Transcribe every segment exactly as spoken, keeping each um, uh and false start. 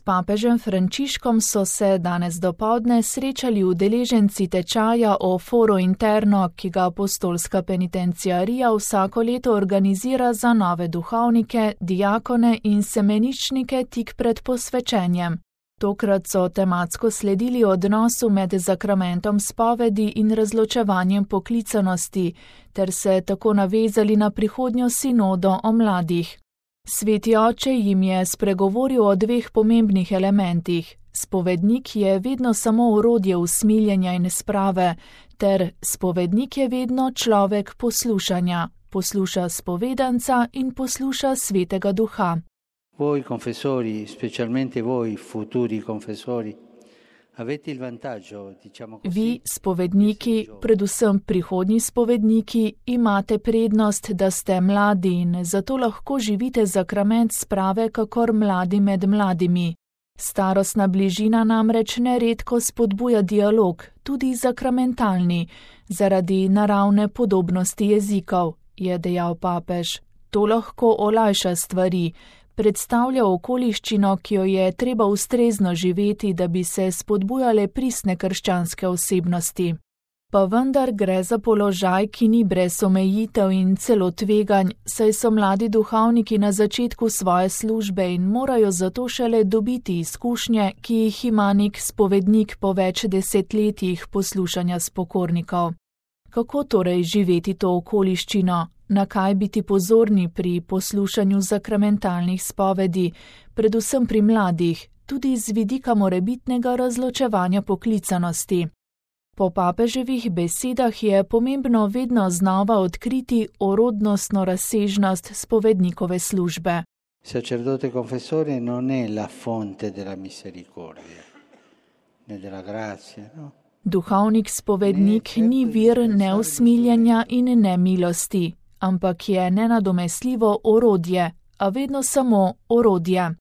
papežem Frančiškom so se danes dopoldne srečali udeleženci tečaja o Foro Interno, ki ga apostolska penitenciarija vsako leto organizira za nove duhovnike, diakone in semeničnike tik pred posvečenjem. Tokrat so tematsko sledili odnosu med zakramentom spovedi in razločevanjem poklicanosti, ter se tako navezali na prihodnjo sinodo o mladih. Sveti oče jim je spregovoril o dveh pomembnih elementih. Spovednik je vedno samo orodje usmiljenja in sprave, ter spovednik je vedno človek poslušanja, posluša spovedanca in posluša Svetega Duha. Voi confessori, specialmente voi futuri confessori, avete il vantaggio, diciamo così. Vi, spovedniki, predvsem prihodnji spovedniki, imate prednost, da ste mladi in zato lahko živite zakrament sprave kakor mladi med mladimi. Starostna bližina namreč neredko spodbuja dialog, tudi zakramentalni, zaradi naravne podobnosti jezikov, je dejal papež. To lahko olajša stvari, predstavlja okoliščino, ki jo je treba ustrezno živeti, da bi se spodbujale pristne krščanske osebnosti. Pa vendar gre za položaj, ki ni brez omejitev in celo tveganj, saj so mladi duhovniki na začetku svoje službe in morajo zato šele dobiti izkušnje, ki jih ima nek spovednik po več desetletjih poslušanja spokornikov. Kako torej živeti to okoliščino? Na kaj biti pozorni pri poslušanju zakramentalnih spovedi, predvsem pri mladih, tudi z vidika morebitnega razločevanja poklicanosti. Po papeževih besedah je pomembno vedno znova odkriti orodnostno razsežnost spovednikove službe. Sacerdote confessore non è la fonte della misericordia, ne della grazia, no? Duhovnik spovednik ni vir neusmiljenja in nemilosti, ampak je nenadomestljivo orodje, a vedno samo orodje.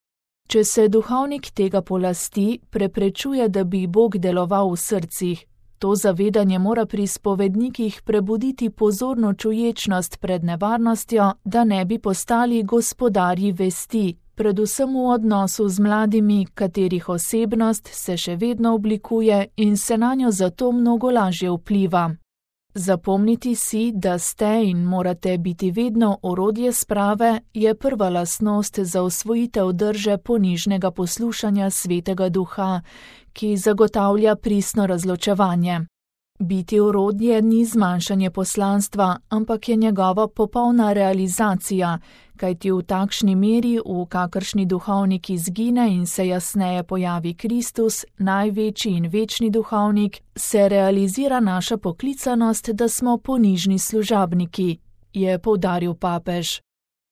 Če se duhovnik tega polasti, preprečuje, da bi Bog deloval v srcih. To zavedanje mora pri spovednikih prebuditi pozorno čuječnost pred nevarnostjo, da ne bi postali gospodarji vesti, predvsem v odnosu z mladimi, katerih osebnost se še vedno oblikuje in se nanjo zato mnogo lažje vpliva. Zapomniti si, da ste in morate biti vedno orodje sprave, je prva lastnost za osvojitev drže ponižnega poslušanja Svetega Duha, ki zagotavlja pristno razločevanje. Biti orodje ni zmanjšanje poslanstva, ampak je njegova popolna realizacija, kajti v takšni meri, v kakršni duhovnik izgine in se jasneje pojavi Kristus, največji in večni duhovnik, se realizira naša poklicanost, da smo ponižni služabniki, je poudaril papež.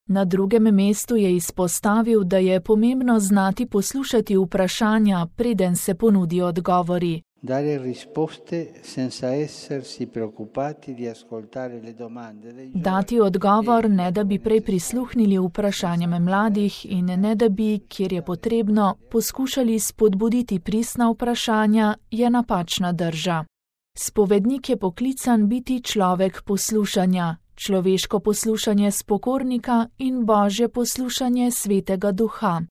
Na drugem mestu je izpostavil, da je pomembno znati poslušati vprašanja, preden se ponudi odgovori. Dare risposte senza essersi preoccupati di ascoltare le domande dei giovani. Dati odgovor, ne da bi prej prisluhnili vprašanjem mladih in ne da bi, kjer je potrebno, poskušali spodbuditi pristna vprašanja, je napačna drža. Spovednik je poklican biti človek poslušanja, človeško poslušanje spokornika in božje poslušanje Svetega Duha.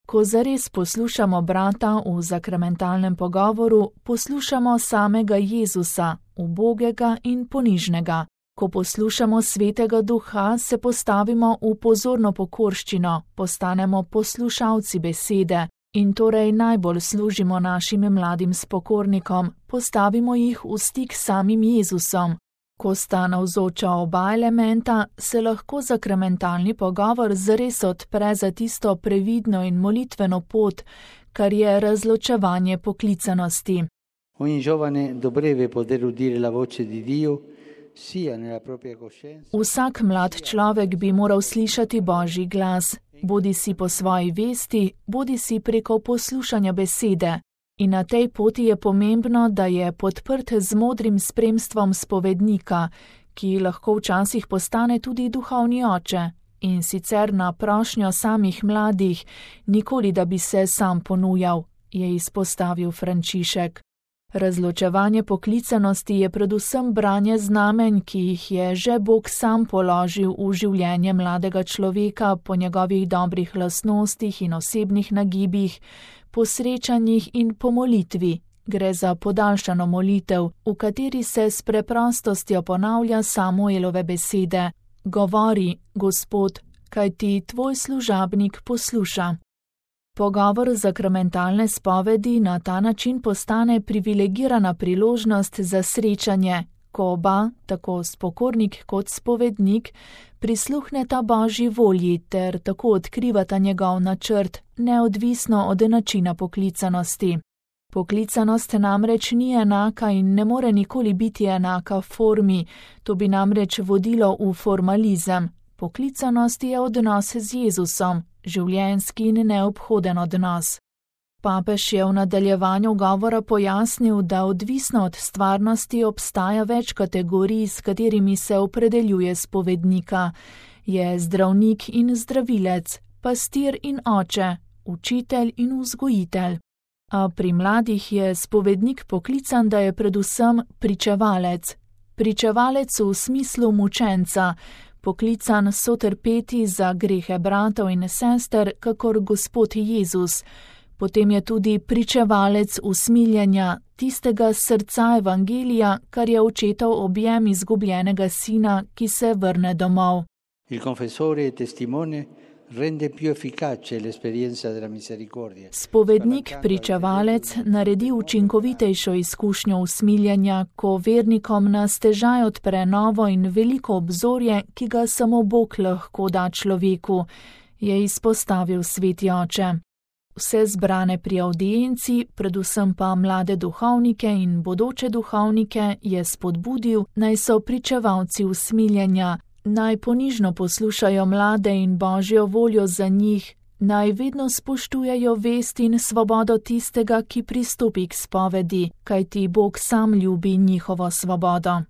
Ko zares poslušamo brata v zakramentalnem pogovoru, poslušamo samega Jezusa, ubogega in ponižnega. Ko poslušamo Svetega Duha, se postavimo v pozorno pokorščino, postanemo poslušalci besede in torej najbolj služimo našim mladim spokornikom, postavimo jih v stik s samim Jezusom. Ko sta navzoča oba elementa, se lahko zakramentalni pogovor zares odpre za tisto previdno in molitveno pot, kar je razločevanje poklicanosti. Ogni giovane dovrebbe poter udire la voce di Dio, sia nella propria coscienza. Vsak mlad človek bi moral slišati Božji glas, bodi si po svoji vesti, bodi si preko poslušanja besede. In na tej poti je pomembno, da je podprt z modrim spremstvom spovednika, ki lahko včasih postane tudi duhovni oče, in sicer na prošnjo samih mladih, nikoli da bi se sam ponujal, je izpostavil Frančišek. Razločevanje poklicanosti je predvsem branje znamenj, ki jih je že Bog sam položil v življenje mladega človeka po njegovih dobrih lastnostih in osebnih nagibih, po srečanjih in po molitvi. Gre za podaljšano molitev, v kateri se s preprostostjo ponavlja Samuelove besede: Govori, Gospod, kajti tvoj služabnik posluša. Pogovor zakramentalne spovedi na ta način postane privilegirana priložnost za srečanje, ko oba, tako spokornik kot spovednik, prisluhneta Božji volji ter tako odkrivata njegov načrt, neodvisno od načina poklicanosti. Poklicanost namreč ni enaka in ne more nikoli biti enaka formi, to bi namreč vodilo v formalizem. Poklicanost je odnos z Jezusom, življenjski in neobhoden odnos. Papež je v nadaljevanju govora pojasnil, da odvisno od stvarnosti obstaja več kategorij, s katerimi se opredeljuje spovednika. Je zdravnik in zdravilec, pastir in oče, učitelj in vzgojitelj. A pri mladih je spovednik poklican, da je predvsem pričevalec. Pričevalec v smislu mučenca, poklican sotrpeti za grehe bratov in sester, kakor Gospod Jezus. Potem je tudi pričevalec usmiljenja, tistega srca evangelija, kar je očetov objem izgubljenega sina, ki se vrne domov. Il confessore e testimone rende più efficace l'esperienza della misericordia. Spovednik, pričevalec, naredi učinkovitejšo izkušnjo usmiljenja, ko vernikom na stežaj odpre novo in veliko obzorje, ki ga samo Bog lahko da človeku, je izpostavil sveti oče. Vse zbrane pri avdienci, predvsem pa mlade duhovnike in bodoče duhovnike, je spodbudil, naj so pričevalci usmiljenja, naj ponižno poslušajo mlade in Božjo voljo za njih, naj vedno spoštujejo vest in svobodo tistega, ki pristopi k spovedi, kajti Bog sam ljubi njihovo svobodo.